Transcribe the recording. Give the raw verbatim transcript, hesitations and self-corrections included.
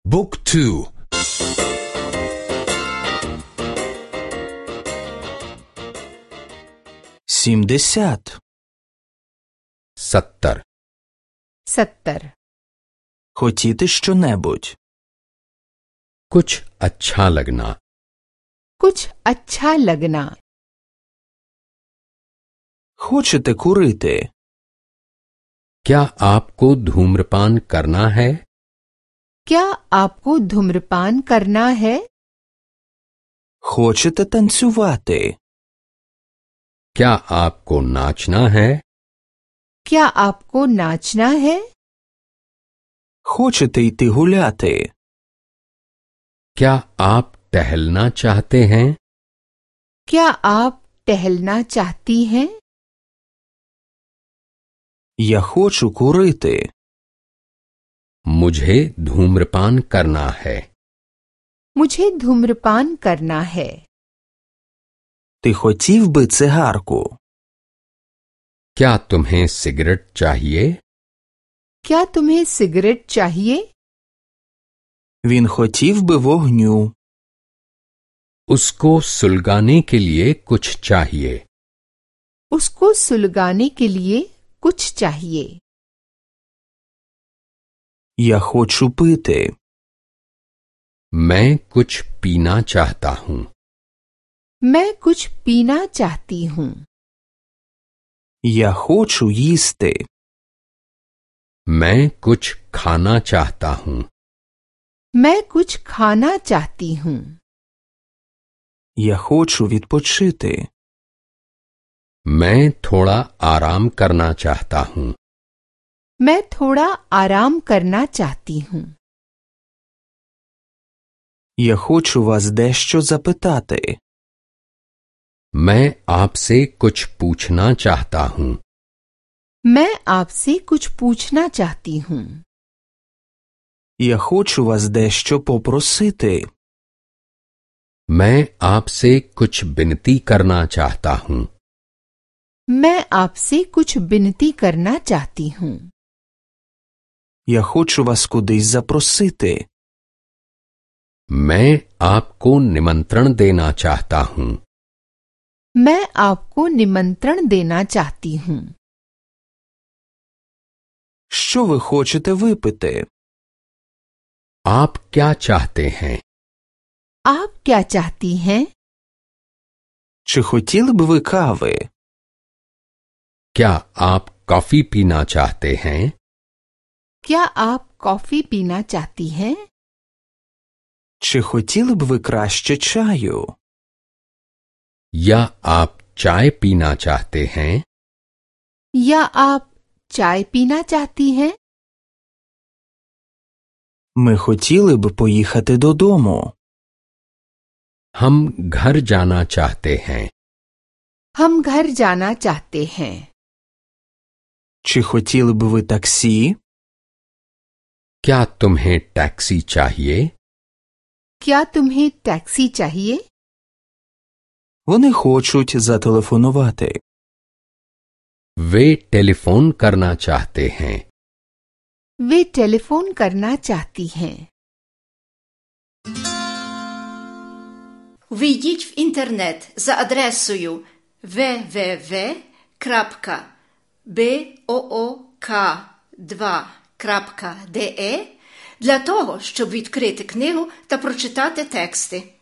Book two. Сімдесят. सत्तर सत्तर Хотіти що-небудь. कुछ अच्छा लगना। कुछ अच्छा लगना। Хочете курити? क्या आपको धूम्रपान करना है? क्या आपको धूम्रपान करना है? Хочете танцювати? क्या आपको नाचना है? क्या आपको नाचना है? Хочете йти гуляти? क्या आप टहलना चाहते हैं? क्या आप टहलना चाहती हैं? Я хочу курити. मुझे धूम्रपान करना है। मुझे धूम्रपान करना है। Ти хотів би цигарку? क्या तुम्हें सिगरेट चाहिए? क्या तुम्हें सिगरेट चाहिए? Він хотів би вогню. उसको सुलगाने के लिए कुछ चाहिए। उसको सुलगाने के लिए कुछ चाहिए। Я хочу пити. मैं कुछ पीना चाहता हूँ। मैं कुछ पीना चाहती हूँ। Я хочу їсти. मैं कुछ खाना चाहता हूँ। मैं कुछ खाना चाहती हूँ। Я хочу відпочити. मैं थोड़ा आराम करना चाहता हूँ। मैं थोड़ा आराम करना चाहती हूँ। Я хочу вас дещо запитати. मैं आपसे कुछ पूछना चाहता हूँ। मैं आपसे कुछ पूछना चाहती हूँ। Я хочу вас дещо попросити. मैं आपसे कुछ विनती करना चाहता हूँ। मैं आपसे कुछ विनती करना चाहती हूँ। Я хочу вас кудись запросити. मैं आपको निमंत्रण देना चाहता हूँ। मैं आपको निमंत्रण देना चाहती हूँ। Що ви хочете випити? आप क्या चाहते हैं? आप क्या चाहती हैं? Чи хотіли б ви кави? क्या आप कॉफी पीना चाहते हैं? क्या आप कॉफी पीना चाहती हैं? Чи хотіли б ви краще чаю? या आप चाय पीना चाहते हैं? या आप चाय पीना चाहती हैं? Ми хотіли б поїхати додому. हम घर जाना चाहते हैं। हम घर जाना चाहते हैं। Чи хотіли б ви таксі? क्या तुम्हें टैक्सी चाहिए? क्या तुम्हें टैक्सी चाहिए? Вони хочуть зателефонувати. वे टेलीफोन करना चाहते हैं। वे टेलीफोन करना चाहती हैं। Ввійдіть в інтернет за адресою дабл ю дабл ю дабл ю крапка буок два крапка де для того, щоб відкрити книгу та прочитати тексти.